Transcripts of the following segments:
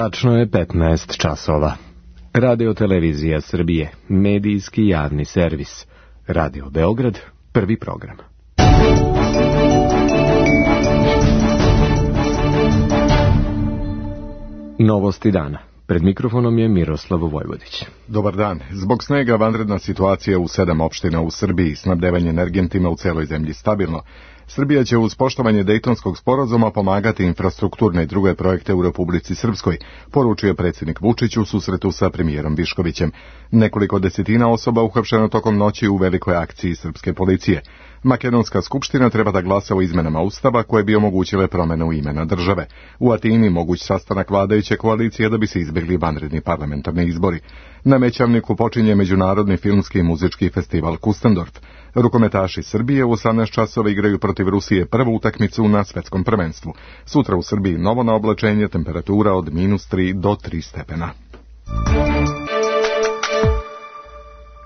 Tačno je 15 časova. Radio Televizija Srbije, medijski javni servis. Radio Beograd, prvi program. Novosti dana. Pred mikrofonom je Miroslav Vojvodić. Dobar dan. Zbog snega vanredna situacija u 7 opština u Srbiji, snabdevanje energentima u celoj zemlji stabilno. Srbija će uz poštovanje Dejtonskog sporazuma pomagati infrastrukturne i druge projekte u Republici Srpskoj, poručio predsjednik Vučić u susretu sa premijerom Viškovićem. Nekoliko desetina osoba uhapšeno tokom noći u velikoj akciji srpske policije. Makedonska skupština treba da glasa o izmenama Ustava koje bi omogućile promenu imena države. U Atini moguć sastanak vladajuće koalicije da bi se izbjegli vanredni parlamentarni izbori. Na Mećavniku počinje Međunarodni filmski i muzički festival Kustendorf. Rukometaši Srbije u 18 časova igraju protiv Rusije prvu utakmicu na svetskom prvenstvu. Sutra u Srbiji novo na oblačenje, temperatura od -3 do 3 stepena.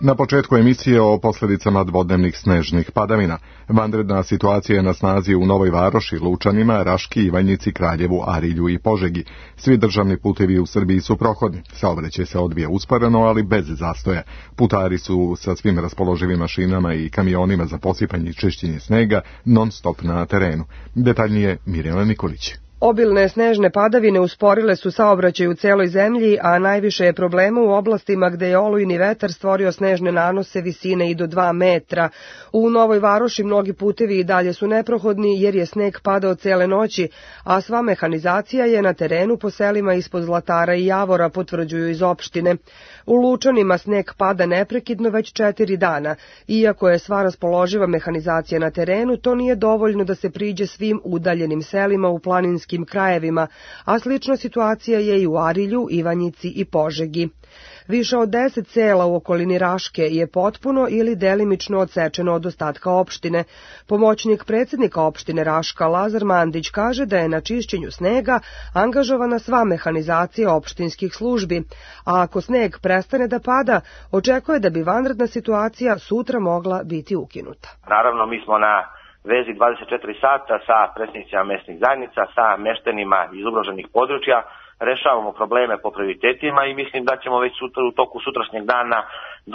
Na početku emisije o posljedicama dvodnevnih snežnih padavina. Vanredna situacija je na snazi u Novoj Varoši, Lučanima, Raški, Ivanjici, Kraljevu, Arilju i Požegi. Svi državni putevi u Srbiji su prohodni. Saobraćaj se odvija usporeno, ali bez zastoja. Putari su sa svim raspoloživim mašinama i kamionima za posipanje i čišćenje snega non stop na terenu. Detaljnije Mirjana Nikolić. Obilne snežne padavine usporile su saobraćaj u celoj zemlji, a najviše je problema u oblastima gde je olujni vetar stvorio snežne nanose visine i do 2 metra. U Novoj Varoši mnogi putevi i dalje su neprohodni jer je sneg padao cele noći, a sva mehanizacija je na terenu po selima ispod Zlatara i Javora, potvrđuju iz opštine. U Lučanima sneg pada neprekidno već 4 dana. Iako je sva raspoloživa mehanizacija na terenu, to nije dovoljno da se priđe svim udaljenim selima u planinskim krajevima, a slična situacija je i u Arilju, Ivanjici i Požegi. Više od 10 sela u okolini Raške je potpuno ili delimično odsečeno od ostatka opštine. Pomoćnik predsjednika opštine Raška Lazar Mandić kaže da je na čišćenju snega angažovana sva mehanizacija opštinskih službi, a ako sneg prestane da pada, očekuje da bi vanredna situacija sutra mogla biti ukinuta. Naravno, mi smo na vezi 24 sata sa predsjednicima mesnih zajednica, sa meštenima iz ugroženih područja, rešavamo probleme po prioritetima i mislim da ćemo već u toku sutrašnjeg dana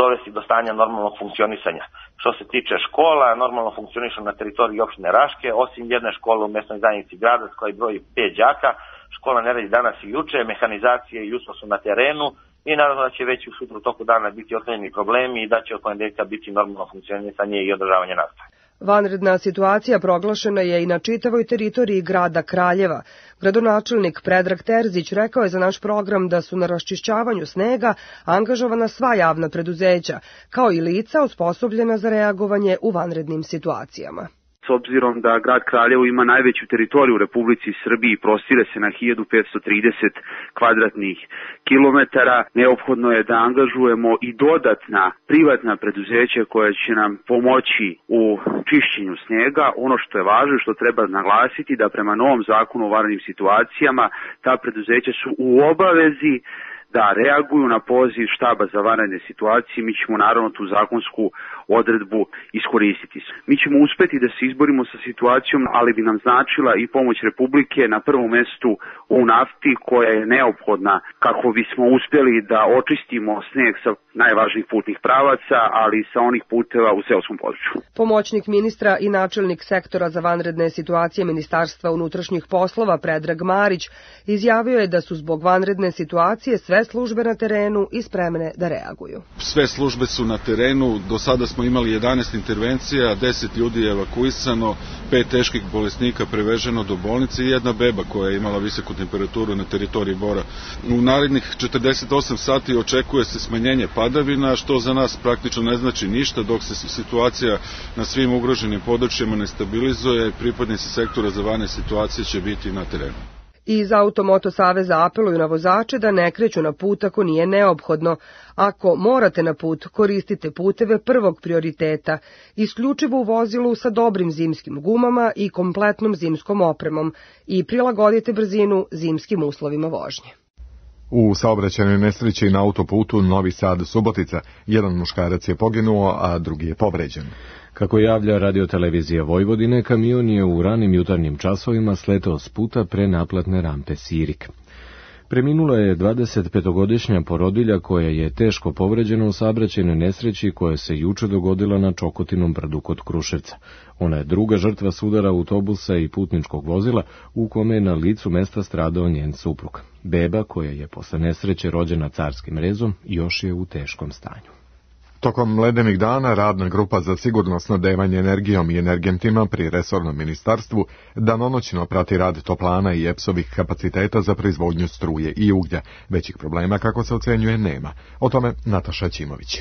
dovesti do stanja normalnog funkcionisanja. Što se tiče škola, normalno funkcionišu na teritoriji opštine Raške, osim jedne škole u mesnoj zajednici Gradac koja broji 5 đaka. Škola ne radi danas i juče, mehanizacije i jutro su na terenu i naravno da će već u sutra u toku dana biti otklonjeni problemi i da će od ponedeljka biti normalno funkcionisanje i održavanje nastave. Vanredna situacija proglašena je i na čitavoj teritoriji grada Kraljeva. Gradonačelnik Predrag Terzić rekao je za naš program da su na raščišćavanju snega angažovana sva javna preduzeća, kao i lica osposobljena za reagovanje u vanrednim situacijama. S obzirom da grad Kraljevo ima najveću teritoriju u Republici Srbiji, prostire se na 1530 kvadratnih kilometara, neophodno je da angažujemo i dodatna privatna preduzeća koja će nam pomoći u čišćenju snega. Ono što je važno, što treba naglasiti, da prema novom zakonu o vanrednim situacijama ta preduzeća su u obavezi da reaguju na poziv štaba za vanredne situacije. Mi ćemo naravno tu zakonsku odredbu iskoristiti. Mi ćemo uspeti da se izborimo sa situacijom, ali bi nam značila i pomoć Republike na prvom mestu u nafti koja je neophodna kako bismo uspjeli da očistimo sneg sa najvažnijih putnih pravaca, ali i sa onih puteva u seoskom području. Pomoćnik ministra i načelnik sektora za vanredne situacije Ministarstva unutrašnjih poslova Predrag Marić izjavio je da su zbog vanredne situacije sve službe na terenu i spremne da reaguju. Sve službe su na terenu, do sada smo imali 11 intervencija, 10 ljudi je evakuisano, 5 teških bolesnika preveženo do bolnice i jedna beba koja je imala visoku temperaturu na teritoriji Bora. U narednih 48 sati očekuje se smanjenje padavina, što za nas praktično ne znači ništa, dok se situacija na svim ugroženim područjima ne stabilizuje, pripadnici sektora za vanredne situacije će biti na terenu. Iz Automoto saveza apeluju na vozače da ne kreću na put ako nije neophodno. Ako morate na put, koristite puteve prvog prioriteta, isključivo u vozilu sa dobrim zimskim gumama i kompletnom zimskom opremom i prilagodite brzinu zimskim uslovima vožnje. U saobraćajnoj nesreći na autoputu Novi Sad-Subotica jedan muškarac je poginuo, a drugi je povređen. Kako javlja radiotelevizija Vojvodine, kamion je u ranim jutarnjim časovima sletao s puta pre naplatne rampe Sirik. Preminula je 25-godišnja porodilja koja je teško povređena u saobraćajnoj nesreći koja se juče dogodila na Čokotinom brdu kod Kruševca. Ona je druga žrtva sudara autobusa i putničkog vozila u kome je na licu mesta stradao njen suprug. Beba, koja je posle nesreće rođena carskim rezom, još je u teškom stanju. Tokom ledenih dana radna grupa za sigurno snabdevanje energijom i energentima pri resornom ministarstvu danonoćno prati rad toplana i EPS-ovih kapaciteta za proizvodnju struje i uglja. Većih problema, kako se ocenjuje, nema. O tome Nataša Ćimović.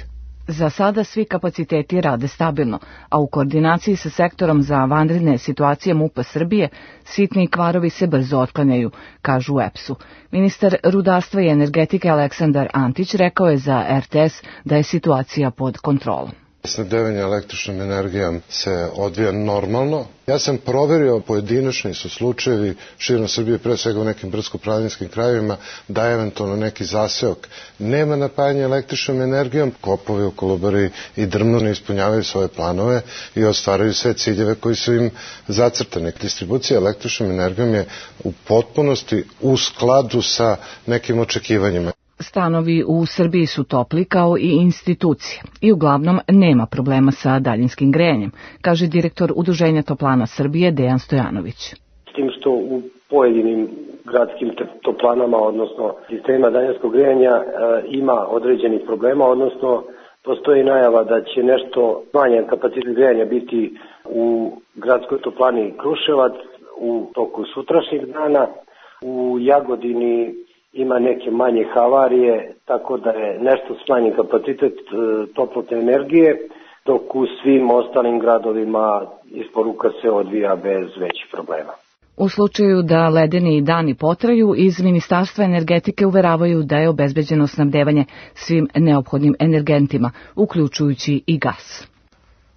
Za sada svi kapaciteti rade stabilno, a u koordinaciji sa sektorom za vanredne situacije MUP-a Srbije sitni kvarovi se brzo otklanjaju, kažu u EPS-u. Ministar rudarstva i energetike Aleksandar Antić rekao je za RTS da je situacija pod kontrolom. Snabdevanje električnom energijom se odvija normalno. Ja sam proverio, pojedinačni su slučajevi širom Srbije, pre svega u nekim brdsko-planinskim krajevima, da eventualno neki zaseok nema napajanja električnom energijom. Kopovi u Kolubari i Drmnu ne ispunjavaju svoje planove i ostvaraju sve ciljeve koji su im zacrtani. Distribucija električnom energijom je u potpunosti u skladu sa nekim očekivanjima. Stanovi u Srbiji su topli kao i institucije i uglavnom nema problema sa daljinskim grejanjem, kaže direktor Udruženja toplana Srbije Dejan Stojanović. S tim što u pojedinim gradskim toplanama, odnosno sistema daljinskog grejanja, ima određenih problema, odnosno postoji najava da će nešto smanjen kapacitet grejanja biti u gradskoj toplani Kruševac u toku sutrašnjeg dana. U Jagodini ima neke manje havarije, tako da je nešto smanjen kapacitet toplotne energije, dok u svim ostalim gradovima isporuka se odvija bez većih problema. U slučaju da ledeni dani potraju, iz Ministarstva energetike uveravaju da je obezbeđeno snabdevanje svim neophodnim energentima, uključujući i gas.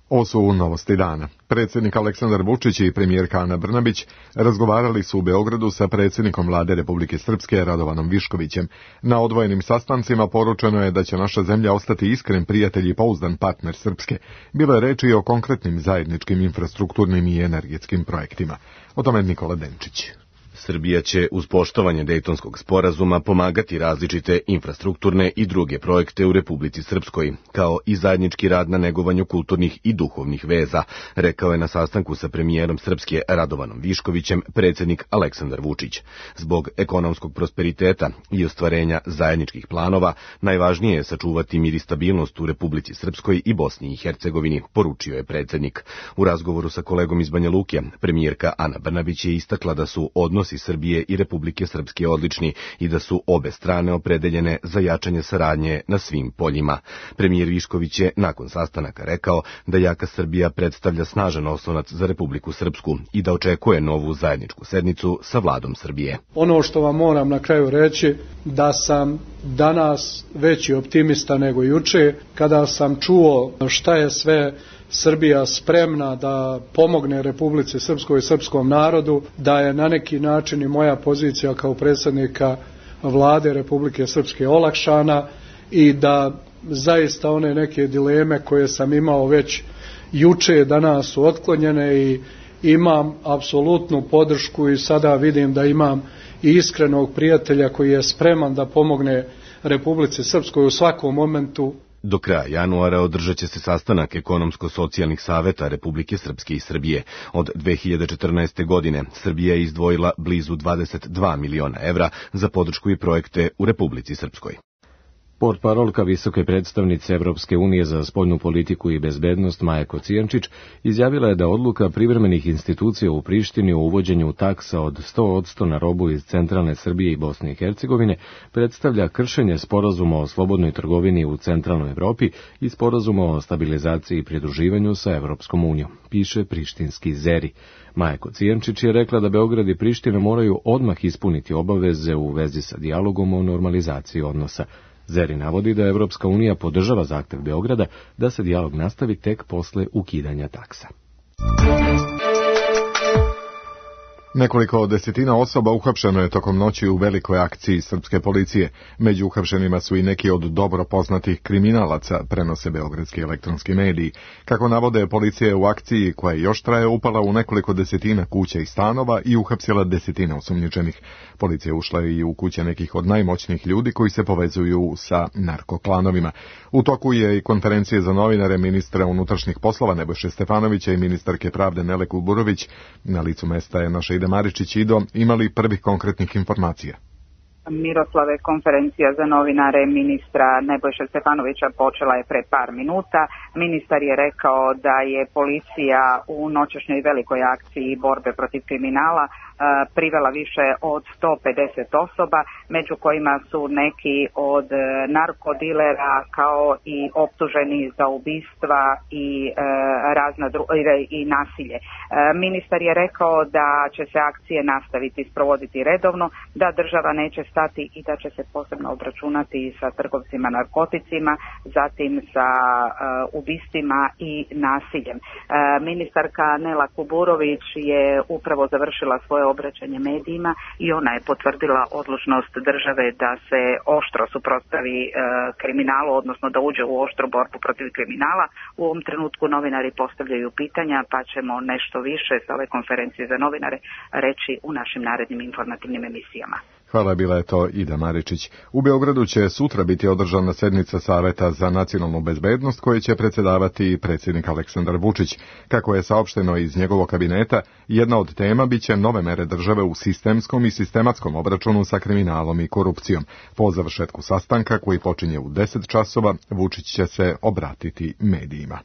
Ovo su novosti dana. Predsjednik Aleksandar Vučić i premijerka Ana Brnabić razgovarali su u Beogradu sa predsjednikom Vlade Republike Srpske Radovanom Viškovićem. Na odvojenim sastancima poručeno je da će naša zemlja ostati iskren prijatelj i pouzdan partner Srpske. Bilo je reči i o konkretnim zajedničkim infrastrukturnim i energetskim projektima. O tome Nikola Denčić. Srbija će uz poštovanje Dejtonskog sporazuma pomagati različite infrastrukturne i druge projekte u Republici Srpskoj, kao i zajednički rad na negovanju kulturnih i duhovnih veza, rekao je na sastanku sa premijerom Srpske Radovanom Viškovićem predsjednik Aleksandar Vučić. Zbog ekonomskog prosperiteta i ostvarenja zajedničkih planova, najvažnije je sačuvati mir i stabilnost u Republici Srpskoj i Bosni i Hercegovini, poručio je predsjednik. U razgovoru sa kolegom iz Banja Luke, premijerka Ana Brnabić je istakla da su odnosi Srbije i Republike Srpske odlični i da su obe strane opredeljene za jačanje saradnje na svim poljima. Premijer Višković je nakon sastanaka rekao da jaka Srbija predstavlja snažan oslonac za Republiku Srpsku i da očekuje novu zajedničku sednicu sa vladom Srbije. Ono što vam moram na kraju reći, da sam danas veći optimista nego juče, kada sam čuo šta je sve Srbija spremna da pomogne Republici Srpskoj i srpskom narodu, da je na neki način i moja pozicija kao predsjednika Vlade Republike Srpske olakšana i da zaista one neke dileme koje sam imao već juče danas su otklonjene i imam apsolutnu podršku i sada vidim da imam i iskrenog prijatelja koji je spreman da pomogne Republici Srpskoj u svakom momentu. Do kraja januara održat će se sastanak ekonomsko-socijalnih saveta Republike Srpske i Srbije. Od 2014. godine Srbija je izdvojila blizu 22 miliona evra za podršku i projekte u Republici Srpskoj. Portparolka visoke predstavnice Evropske unije za spoljnu politiku i bezbednost Maja Kocijančić izjavila je da odluka privremenih institucija u Prištini o uvođenju taksa od 100% na robu iz centralne Srbije i Bosne i Hercegovine predstavlja kršenje sporazuma o slobodnoj trgovini u centralnoj Evropi i sporazuma o stabilizaciji i pridruživanju sa Evropskom unijom, piše prištinski Zeri. Maja Kocijančić je rekla da Beograd i Priština moraju odmah ispuniti obaveze u vezi sa dijalogom o normalizaciji odnosa. Zeri navodi da Evropska unija podržava zahtev Beograda da se dijalog nastavi tek posle ukidanja taksa. Nekoliko desetina osoba uhapšeno je tokom noći u velikoj akciji srpske policije. Među uhapšenima su i neki od dobro poznatih kriminalaca, prenose beogradski elektronski mediji. Kako navode, policija je u akciji, koja još traje, upala u nekoliko desetina kuća i stanova i uhapsila desetine osumnjičenih. Policija ušla i u kuće nekih od najmoćnijih ljudi koji se povezuju sa narkoklanovima. U toku je i konferencije za novinare ministra unutrašnjih poslova Nebojše Stefanovića i ministarke pravde Nele Kuburović. Na licu mesta je naša Ida Maričić. Ido, imali prvih konkretnih informacija? Miroslave, konferencija za novinare ministra Nebojše Stefanovića počela je pre par minuta. Ministar je rekao da je policija u noćašnjoj velikoj akciji borbe protiv kriminala privela više od 150 osoba, među kojima su neki od narkodilera kao i optuženi za ubistva i nasilje. Ministar je rekao da će se akcije nastaviti sprovoditi redovno, da država neće stati i da će se posebno obračunati sa trgovcima narkoticima, zatim sa ubistvima i nasiljem. Ministarka Nela Kuburović je upravo završila svoje obraćanje medijima i ona je potvrdila odlučnost države da se oštro suprotstavi kriminalu, odnosno da uđe u oštru borbu protiv kriminala. U ovom trenutku novinari postavljaju pitanja, pa ćemo nešto više sa ove konferencije za novinare reći u našim narednim informativnim emisijama. Hvala, bila je to Ida Maričić. U Beogradu će sutra biti održana sednica Saveta za nacionalnu bezbednost koje će predsjedavati predsjednik Aleksandar Vučić. Kako je saopšteno iz njegovog kabineta, jedna od tema biće nove mere države u sistemskom i sistematskom obračunu sa kriminalom i korupcijom. Po završetku sastanka, koji počinje u 10 časova, Vučić će se obratiti medijima.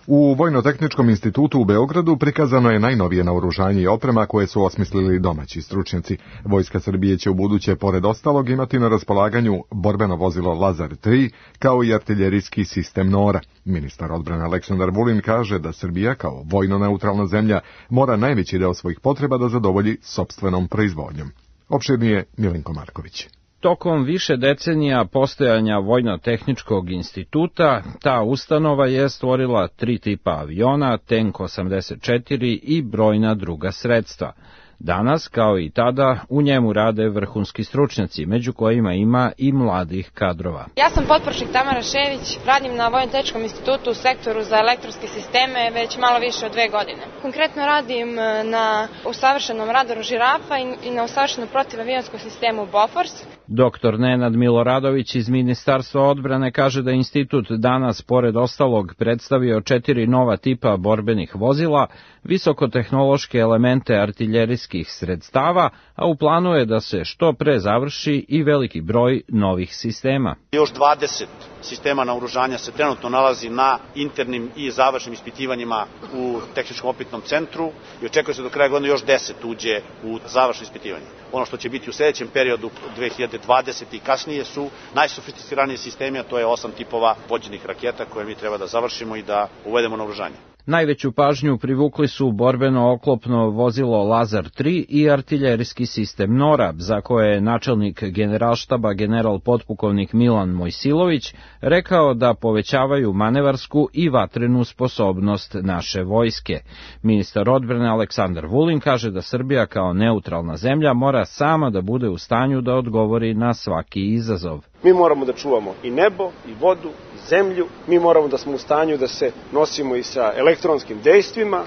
U Vojno-tehničkom institutu u Beogradu prikazano je najnovije naoružanje i oprema koje su osmislili domaći stručnjaci. Vojska Srbije će ubuduće, pored ostalog, imati na raspolaganju borbeno vozilo Lazar 3, kao i artiljerijski sistem Nora. Ministar odbrane Aleksandar Vulin kaže da Srbija, kao vojno-neutralna zemlja, mora najveći deo svojih potreba da zadovolji sopstvenom proizvodnjom. Opširnije Milenko Marković. Tokom više decenija postojanja Vojno-tehničkog instituta, ta ustanova je stvorila 3 tipa aviona, Tank 84 i brojna druga sredstva. Danas, kao i tada, u njemu rade vrhunski stručnjaci, među kojima ima i mladih kadrova. Ja sam potporučnik Tamara Šević, radim na Vojno-tehničkom institutu u sektoru za elektronske sisteme već malo više od 2 godine. Konkretno radim na usavršenom radaru Žirafa i na usavršenom protivavijonskom sistemu Bofors. Doktor Nenad Miloradović iz Ministarstva odbrane kaže da institut danas, pored ostalog, predstavio 4 nova tipa borbenih vozila, visokotehnološke elemente artiljerijskih sredstava, a u planu je da se što pre završi i veliki broj novih sistema. Još 20 sistema naoružanja se trenutno nalazi na internim i završnim ispitivanjima u Tehničkom opitnom centru i očekuje se do kraja godine još 10 uđe u završno ispitivanje. Ono što će biti u sljedećem periodu 2020. i kasnije su najsofisticiraniji sistemi, a to je 8 tipova vođenih raketa koje mi treba da završimo i da uvedemo naoružanje. Najveću pažnju privukli su borbeno oklopno vozilo Lazar 3 i artiljerijski sistem Nora, za koje je načelnik generalštaba general potpukovnik Milan Mojsilović rekao da povećavaju manevarsku i vatrenu sposobnost naše vojske. Ministar odbrane Aleksandar Vulin kaže da Srbija kao neutralna zemlja mora sama da bude u stanju da odgovori na svaki izazov. Mi moramo da čuvamo i nebo, i vodu, i zemlju, mi moramo da smo u stanju da se nosimo i sa elektronskim dejstvima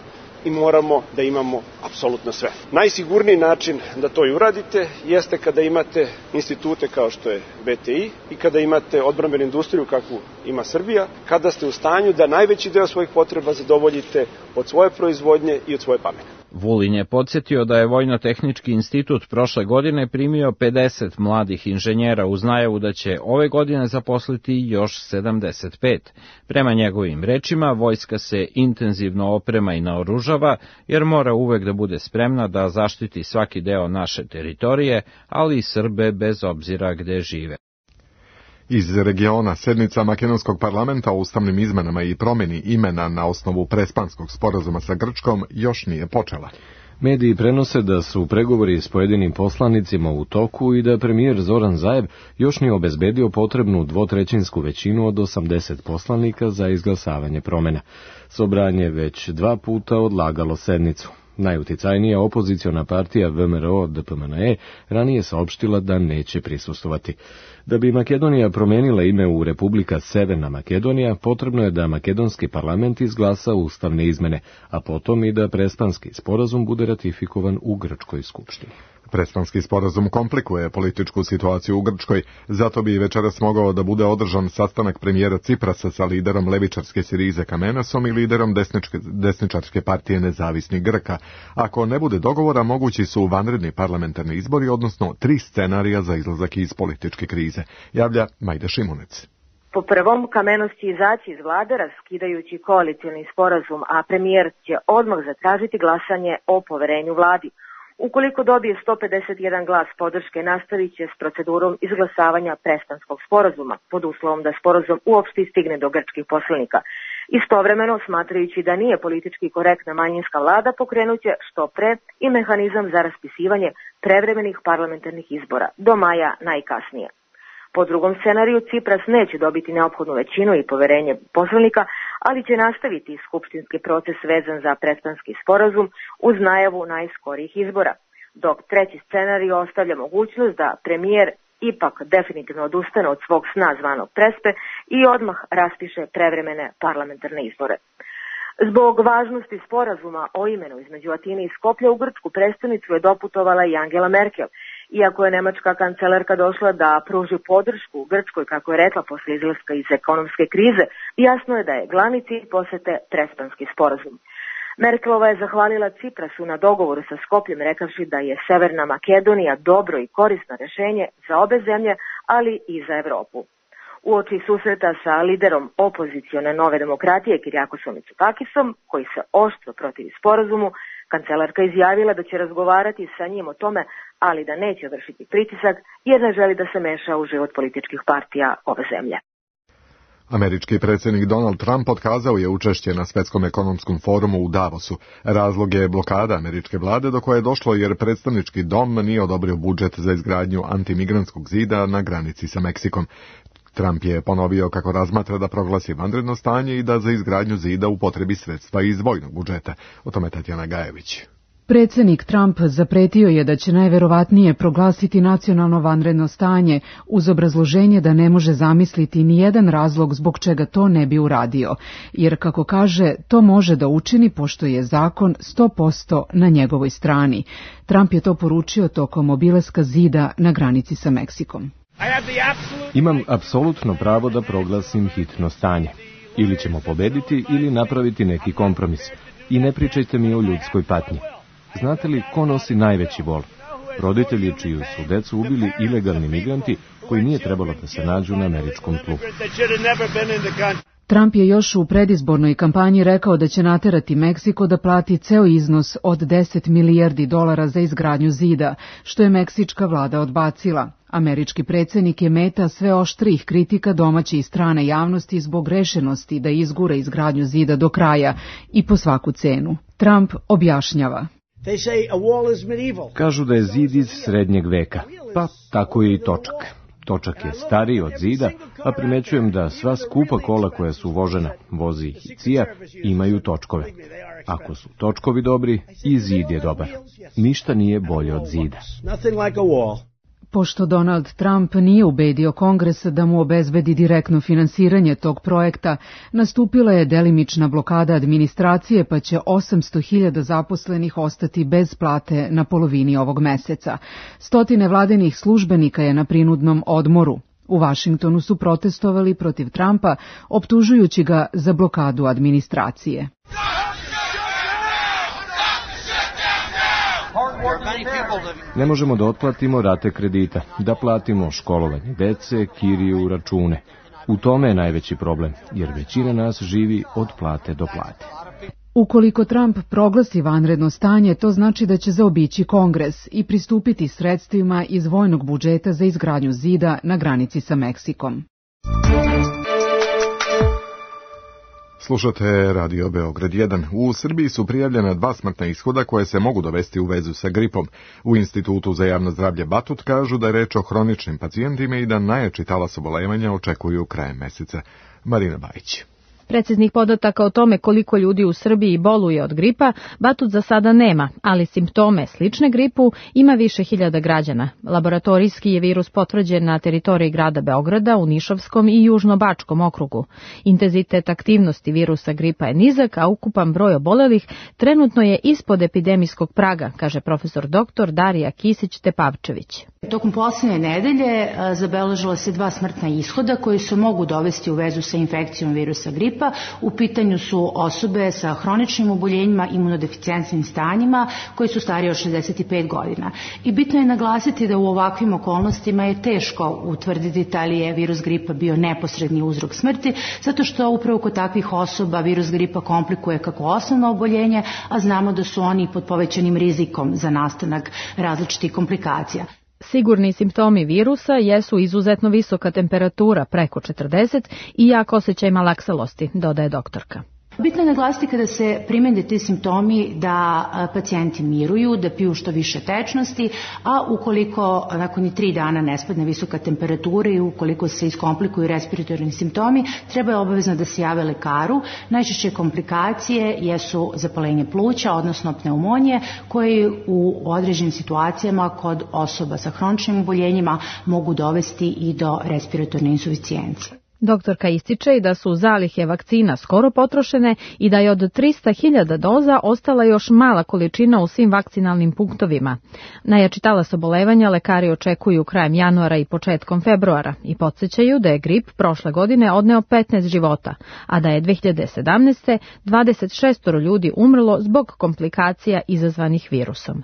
i moramo da imamo apsolutno sve. Najsigurniji način da to i uradite jeste kada imate institute kao što je BTI i kada imate odbrambenu industriju kakvu ima Srbija, kada ste u stanju da najveći deo svojih potreba zadovoljite od svoje proizvodnje i od svoje pameti. Vulin je podsjetio da je Vojno-tehnički institut prošle godine primio 50 mladih inženjera uz najavu da će ove godine zaposliti još 75. Prema njegovim rečima, vojska se intenzivno oprema i naoružava, jer mora uvek da bude spremna da zaštiti svaki deo naše teritorije, ali i Srbe bez obzira gde žive. Iz regiona, sednica makedonskog parlamenta o ustavnim izmenama i promjeni imena na osnovu prespanskog sporazuma sa Grčkom još nije počela. Mediji prenose da su pregovori s pojedinim poslanicima u toku i da premijer Zoran Zaev još nije obezbedio potrebnu 2/3 većinu od 80 poslanika za izglasavanje promjena. Sobranje već 2 puta odlagalo sednicu. Najuticajnija opoziciona partija VMRO-DPMNE ranije saopštila da neće prisustvovati. Da bi Makedonija promenila ime u Republika Severna Makedonija, potrebno je da makedonski parlament izglasa ustavne izmene, a potom i da Prespanski sporazum bude ratifikovan u Grčkoj skupštini. Prespanski sporazum komplikuje političku situaciju u Grčkoj, zato bi večeras mogao da bude održan sastanak premijera Ciprasa sa liderom levičarske Sirize Kamenasom i liderom desničarske partije Nezavisnih Grka. Ako ne bude dogovora, mogući su vanredni parlamentarni izbori, odnosno 3 scenarija za izlazak iz političke krize, javlja Majda Šimunec. Po prvom, Kamenos će izaći iz vlade raskidajući koalicioni sporazum, a premijer će odmah zatražiti glasanje o poverenju vladi. Ukoliko dobije 151 glas podrške, nastavit će s procedurom izglasavanja Prespanskog sporazuma, pod uslovom da sporazum uopšte stigne do grčkih poslanika. Istovremeno, smatrajući da nije politički korektna manjinska vlada, pokrenuće što pre i mehanizam za raspisivanje prevremenih parlamentarnih izbora, do maja najkasnije. Po drugom scenariju, Cipras neće dobiti neophodnu većinu i poverenje poslanika, ali će nastaviti skupštinski proces vezan za Prespanski sporazum uz najavu najskorijih izbora, dok treći scenarij ostavlja mogućnost da premijer ipak definitivno odustane od svog sna zvanog Prespe i odmah raspiše prevremene parlamentarne izbore. Zbog važnosti sporazuma o imenu između Atine i Skoplja u grčku prestonicu je doputovala i Angela Merkel. Iako je nemačka kancelarka došla da pruži podršku Grčkoj, kako je rekla, posle izlaska iz ekonomske krize, jasno je da je glavni cilj posete Prespanski sporazum. Merkelova je zahvalila Ciprasu na dogovoru sa Skopljem, rekavši da je Severna Makedonija dobro i korisno rešenje za obe zemlje, ali i za Evropu. Uoči susreta sa liderom opozicione Nove demokratije Kirijakosom Mitsotakisom, koji se oštro protivi sporazumu, kancelarka izjavila da će razgovarati sa njim o tome, ali da neće vršiti pritisak jer ne želi da se meša u život političkih partija ove zemlje. Američki predsjednik Donald Trump otkazao je učešće na Svetskom ekonomskom forumu u Davosu. Razlog je blokada američke vlade do koje je došlo jer predstavnički dom nije odobrio budžet za izgradnju antimigrantskog zida na granici sa Meksikom. Trump je ponovio kako razmatra da proglasi vanredno stanje i da za izgradnju zida upotrebi sredstva iz vojnog budžeta. O tome Tatjana Gajević. Predsjednik Trump zapretio je da će najverovatnije proglasiti nacionalno vanredno stanje uz obrazloženje da ne može zamisliti ni jedan razlog zbog čega to ne bi uradio, jer kako kaže, to može da učini pošto je zakon 100% na njegovoj strani. Trump je to poručio tokom obilaska zida na granici sa Meksikom. Imam apsolutno pravo da proglasim hitno stanje. Ili ćemo pobediti ili napraviti neki kompromis. I ne pričajte mi o ljudskoj patnji. Znate li ko nosi najveći bol? Roditelji čiju su decu ubili ilegalni migranti koji nije trebalo da se nađu na američkom tlu. Trump je još u predizbornoj kampanji rekao da će naterati Meksiko da plati ceo iznos od $10 milijardi za izgradnju zida, što je meksička vlada odbacila. Američki predsjednik je meta sve oštrijih kritika domaće i strane javnosti zbog rešenosti da izgura izgradnju zida do kraja i po svaku cenu. Trump objašnjava. Kažu da je zid iz srednjeg veka, pa tako je i točak. Točak je stariji od zida, a primećujem da sva skupa kola koja su vožena, vozi ih i CIA, imaju točkove. Ako su točkovi dobri, i zid je dobar. Ništa nije bolje od zida. Pošto Donald Trump nije ubedio Kongres da mu obezbedi direktno finansiranje tog projekta, nastupila je delimična blokada administracije, pa će 800.000 zaposlenih ostati bez plate na polovini ovog meseca. Stotine vladinih službenika je na prinudnom odmoru. U Vašingtonu su protestovali protiv Trumpa, optužujući ga za blokadu administracije. Ne možemo da otplatimo rate kredita, da platimo školovanje dece, kiriju, račune. U tome je najveći problem, jer većina nas živi od plate do plate. Ukoliko Trump proglasi vanredno stanje, to znači da će zaobići Kongres i pristupiti sredstvima iz vojnog budžeta za izgradnju zida na granici sa Meksikom. Slušate Radio Beograd 1. U Srbiji su prijavljena 2 smrtna ishoda koje se mogu dovesti u vezu sa gripom. U Institutu za javno zdravlje Batut kažu da je reč o hroničnim pacijentima i da najjači talas obolevanja očekuju krajem meseca. Marina Bajić. Preciznih podataka o tome koliko ljudi u Srbiji boluje od gripa Batut za sada nema, ali simptome slične gripu ima više hiljada građana. Laboratorijski je virus potvrđen na teritoriji grada Beograda, u Nišavskom i Južnobačkom okrugu. Intenzitet aktivnosti virusa gripa je nizak, a ukupan broj obolelih trenutno je ispod epidemijskog praga, kaže profesor dr. Darija Kisić-Tepavčević. Tokom poslednje nedelje zabeležila se 2 smrtna ishoda koji se mogu dovesti u vezu sa infekcijom virusa gripa. U pitanju su osobe sa hroničnim oboljenjima, imunodeficijentnim stanjima koji su stariji od 65 godina. I bitno je naglasiti da u ovakvim okolnostima je teško utvrditi da li je virus gripa bio neposredni uzrok smrti, zato što upravo kod takvih osoba virus gripa komplikuje kako osnovno oboljenje, a znamo da su oni pod povećanim rizikom za nastanak različitih komplikacija. Sigurni simptomi virusa jesu izuzetno visoka temperatura preko 40 i jak osjećaj malaksalosti, dodaje doktorka. Bitno je naglasiti kada se primene ti simptomi da pacijenti miruju, da piju što više tečnosti, a ukoliko nakon 3 dana ne spadne visoka temperatura i ukoliko se iskomplikuju respiratorni simptomi, treba je obavezno da se jave lekaru. Najčešće komplikacije jesu zapalenje pluća, odnosno pneumonije, koje u određenim situacijama kod osoba sa hroničnim oboljenjima mogu dovesti i do respiratorne insuficijencije. Doktorka ističe i da su zalihe vakcina skoro potrošene i da je od 300.000 doza ostala još mala količina u svim vakcinalnim punktovima. Najjači talas obolevanja lekari očekuju krajem januara i početkom februara i podsjećaju da je grip prošle godine odneo 15 života, a da je 2017. 26 ljudi umrlo zbog komplikacija izazvanih virusom.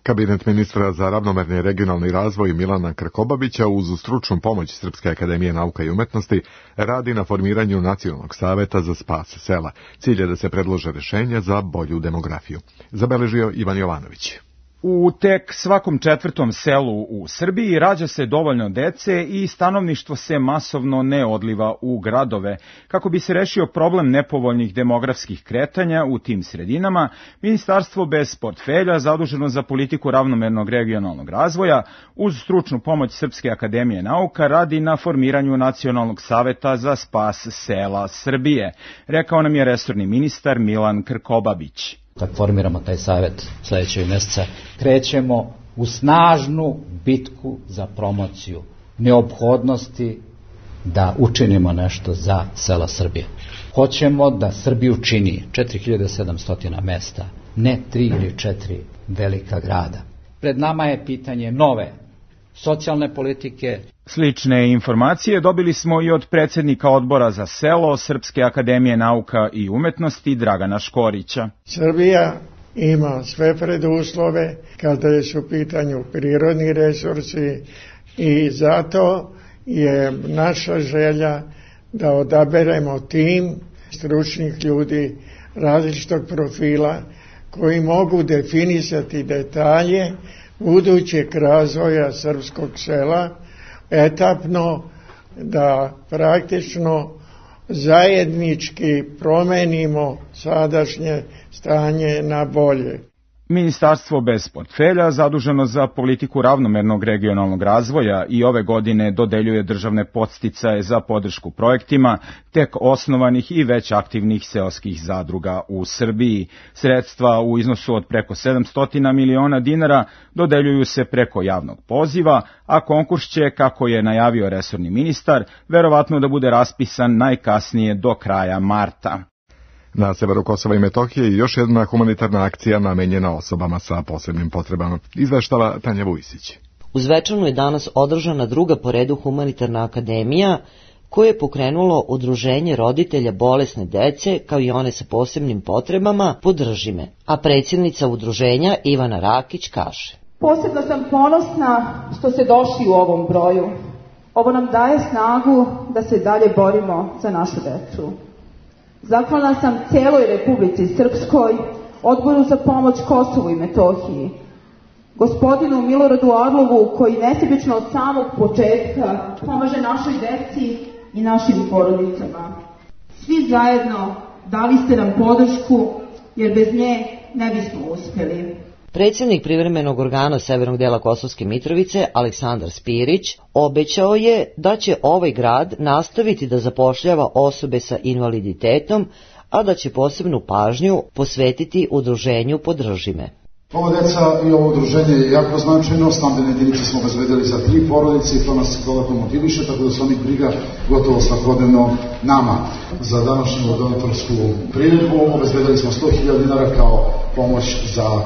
Kabinet ministra za ravnomerni regionalni razvoj Milana Krkobabića uz stručnu pomoć Srpske akademije nauka i umetnosti radi na formiranju Nacionalnog saveta za spas sela. Cilj je da se predlože rešenja za bolju demografiju. Zabeležio Ivan Jovanović. U tek svakom 4. selu u Srbiji rađa se dovoljno dece i stanovništvo se masovno ne odliva u gradove. Kako bi se rešio problem nepovoljnih demografskih kretanja u tim sredinama, Ministarstvo bez portfelja zaduženo za politiku ravnomernog regionalnog razvoja uz stručnu pomoć Srpske akademije nauka radi na formiranju Nacionalnog saveta za spas sela Srbije, rekao nam je resorni ministar Milan Krkobabić. Kad formiramo taj savjet sledećeg meseca, krećemo u snažnu bitku za promociju neophodnosti da učinimo nešto za sela Srbije. Hoćemo da Srbiju čini 4700 mesta, ne 3 ili 4 velika grada. Pred nama je pitanje nove socijalne politike. Slične informacije dobili smo i od predsjednika odbora za selo Srpske akademije nauka i umetnosti Dragana Škorića. Srbija ima sve preduslove kada su u pitanju prirodni resursi i zato je naša želja da odaberemo tim stručnih ljudi različitog profila koji mogu definisati detalje budućeg razvoja srpskog sela, etapno da praktično zajednički promenimo sadašnje stanje na bolje. Ministarstvo bez portfelja, zaduženo za politiku ravnomernog regionalnog razvoja, i ove godine dodeljuje državne podsticaje za podršku projektima tek osnovanih i već aktivnih seoskih zadruga u Srbiji. Sredstva u iznosu od preko 700 miliona dinara dodeljuju se preko javnog poziva, a konkurs će, kako je najavio resorni ministar, verovatno da bude raspisan najkasnije do kraja marta. Na severu Kosova i Metohije još jedna humanitarna akcija namenjena osobama sa posebnim potrebama. Izveštava Tanja Vujsić. U Zvečanu je danas održana druga po redu humanitarna akademija koje je pokrenulo Udruženje roditelja bolesne dece kao i one sa posebnim potrebama Podrži me, a predsjednica udruženja Ivana Rakić kaže: Posebno sam ponosna što ste došli u ovom broju. Ovo nam daje snagu da se dalje borimo za našu decu. Zahvalna sam cijeloj Republici Srpskoj, Odboru za pomoć Kosovu i Metohiji, gospodinu Miloradu Orlovu koji nesebično od samog početka pomaže našoj deci i našim porodicama. Svi zajedno dali ste nam podršku jer bez nje ne bismo uspjeli. Predsjednik privremenog organa severnog dela Kosovske Mitrovice, Aleksandar Spirić, obećao je da će ovaj grad nastaviti da zapošljava osobe sa invaliditetom, a da će posebnu pažnju posvetiti udruženju Podrži me. Ova deca i ovo udruženje je jako značajno, stambene jedinice smo obezbedili za 3 porodice i to nas dodatno motiviše, tako da se onih briga gotovo svakodnevno nama. Za današnju donatorsku priredbu obezbedili smo 100.000 dinara kao pomoć za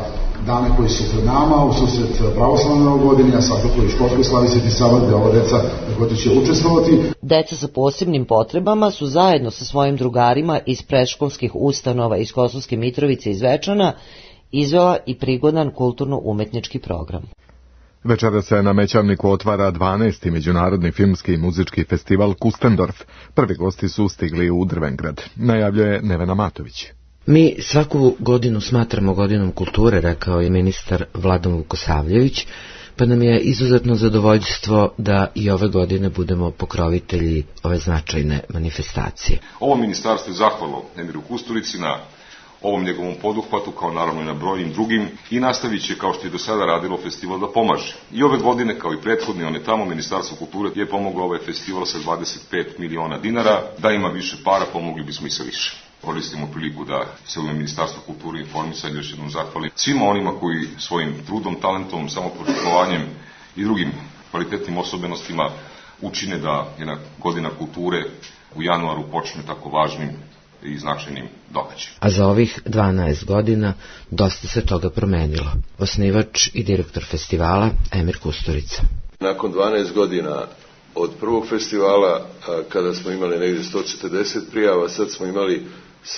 dane koji su pred nama, u susret pravoslavne godine, a svakako i školskoj slavi Sveti Sava, gde ova deca također će učestvovati. Deca sa posebnim potrebama su zajedno sa svojim drugarima iz predškolskih ustanova iz Kosovske Mitrovice i Zvečana izvela i prigodan kulturno-umetnički program. Večera se na Mećavniku otvara 12. međunarodni filmski i muzički festival Kustendorf. Prvi gosti su stigli u Drvengrad, najavljuje Nevena Matović. Mi svaku godinu smatramo godinom kulture, rekao je ministar Vladan Vukosavljević, pa nam je izuzetno zadovoljstvo da i ove godine budemo pokrovitelji ove značajne manifestacije. Ovo ministarstvo je zahvalno Emiru Kusturici na ovom njegovom poduhvatu, kao naravno i na brojnim drugim, i nastavit će, kao što je do sada radilo, festival da pomaže. I ove godine, kao i prethodne, one tamo, Ministarstvo kulture je pomoglo ovaj festival sa 25 miliona dinara. Da ima više para, pomogli bismo i sa više. Koristimo priliku da se u Ministarstvu kulture i informisanja još jednom zahvalim svima onima koji svojim trudom, talentom, samopožrtvovanjem i drugim kvalitetnim osobenostima učine da jedna godina kulture u januaru počne tako važnim i značajnim događajem. A za ovih 12 godina dosta se toga promenilo. Osnivač i direktor festivala Emir Kusturica. Nakon 12 godina od prvog festivala, kada smo imali negdje 140 prijava, sad smo imali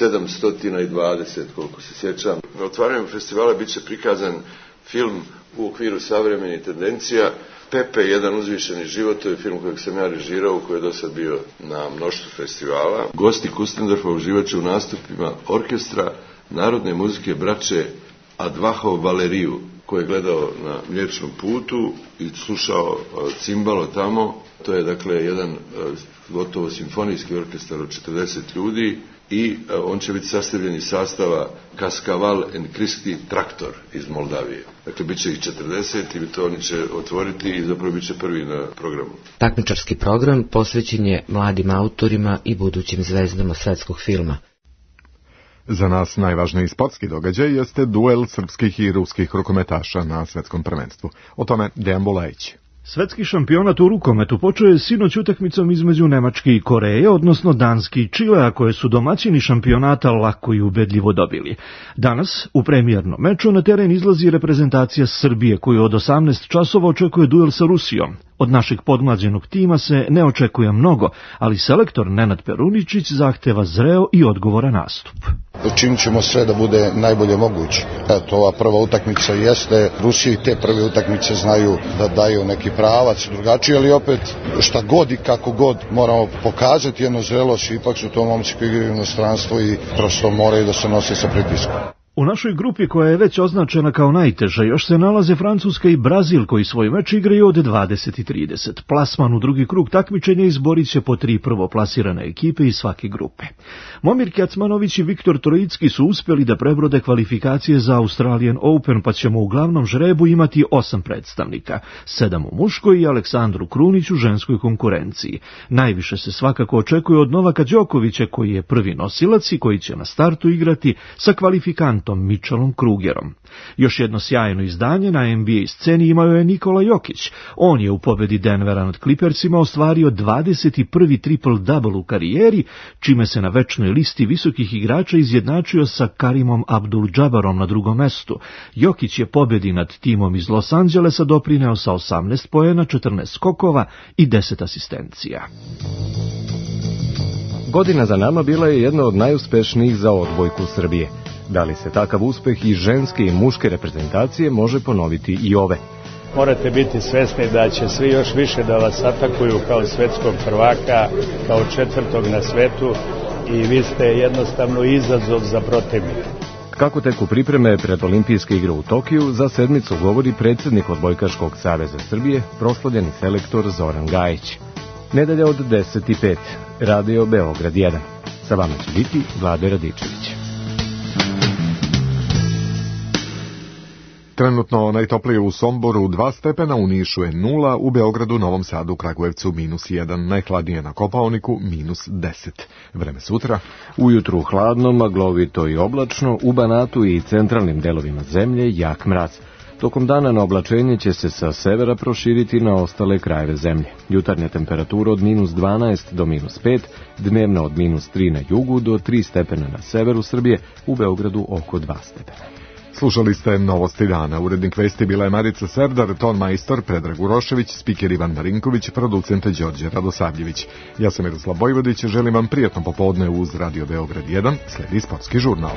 720, koliko se sjećam. Na otvaranju festivala bit će prikazan film u okviru savremenih tendencija. Pepe, jedan uzvišeni život, to je film kojeg sam ja režirao, koji je do sad bio na mnoštvu festivala. Gosti Kustendorfa uživat će u nastupima orkestra narodne muzike braće Advahov Valeriju, koji je gledao na Mliječnom putu i slušao cimbalo tamo. To je dakle jedan gotovo simfonijski orkestar od 40 ljudi i on će biti sastavljen iz sastava Kaskaval and Kristi Traktor iz Moldavije. Dakle, bit će ih 40 i to oni će otvoriti i zapravo bit će prvi na programu. Takmičarski program posvećen je mladim autorima i budućim zvezdama svetskog filma. Za nas najvažniji sportski događaj jeste duel srpskih i ruskih rukometaša na svetskom prvenstvu. O tome Dejan Bulajić. Svetski šampionat u rukometu počeo je sinoć utakmicom između Nemačke i Koreje, odnosno Danske i Čilea, koje su domaćini šampionata lako i ubedljivo dobili. Danas, u premijernom meču, na teren izlazi reprezentacija Srbije, koju od 18 časova očekuje duel sa Rusijom. Od našeg podmlađenog tima se ne očekuje mnogo, ali selektor Nenad Peruničić zahteva zreo i odgovoran nastup. Učinit ćemo sve da bude najbolje moguće. Eto, ova prva utakmica jeste, Rusiji te prve utakmice znaju da daju neki pravac drugačiji, ali opet šta god i kako god moramo pokazati jednu zrelost, ipak su to momci koji igraju u inostranstvu i prosto moraju da se nose sa pritiskom. U našoj grupi, koja je već označena kao najteža, još se nalaze Francuska i Brazil, koji svoj meč igraju od 20:30. Plasman u drugi krug takmičenja izborit će po 3 prvoplasirane ekipe iz svake grupe. Momir Kecmanović i Viktor Trojicki su uspjeli da prebrode kvalifikacije za Australian Open, pa ćemo u glavnom žrebu imati 8 predstavnika, 7 u muškoj i Aleksandru Krunić u ženskoj konkurenciji. Najviše se svakako očekuje od Novaka Đokovića, koji je prvi nosilac i koji će na startu igrati sa kvalifikantom Mitchellom Krugerom. Još jedno sjajno izdanje na NBA sceni imao je Nikola Jokić. On je u pobedi Denvera nad Clippersima ostvario 21. triple-double u karijeri, čime se na večnoj listi visokih igrača izjednačio sa Karimom Abdul-Džabarom na drugom mestu. Jokić je pobedi nad timom iz Los Angelesa doprineo sa 18 poena, 14 skokova i 10 asistencija. Godina za nama bila je jedna od najuspešnijih za odbojku Srbije. Da li se takav uspeh i ženske i muške reprezentacije može ponoviti i ove? Morate biti svesni da će svi još više da vas atakuju kao svetskog prvaka, kao 4. na svetu i vi ste jednostavno izazov za protivnika. Kako teku pripreme pred olimpijske igre u Tokiju, za sedmicu govori predsjednik Odbojkaškog saveza Srbije, proslavljeni selektor Zoran Gajić. Nedelja od 10:05, Radio Beograd 1. Sa vama će biti Vlade Radičević. Trenutno najtoplije u Somboru 2 stepena, u Nišu je 0, u Beogradu, Novom Sadu, Kragujevcu -1, najhladnije na Kopaoniku -10. Vreme sutra. Ujutru hladno, maglovito i oblačno, u Banatu i centralnim delovima zemlje jak mraz. Tokom dana na oblačenje će se sa severa proširiti na ostale krajeve zemlje. Jutarnja temperatura od -12 do -5, dnevna od -3 na jugu do 3 stepena na severu Srbije, u Beogradu oko 2 stepena. Slušali ste Novosti dana. Urednik vesti bila je Marica Serdar, ton majstor Predrag Urošević, spiker Ivan Marinković, producent Đorđe Radosavljević. Ja sam Miroslav Bojvodić, želim vam prijatno popodne uz Radio Beograd 1, sledi sportski žurnal.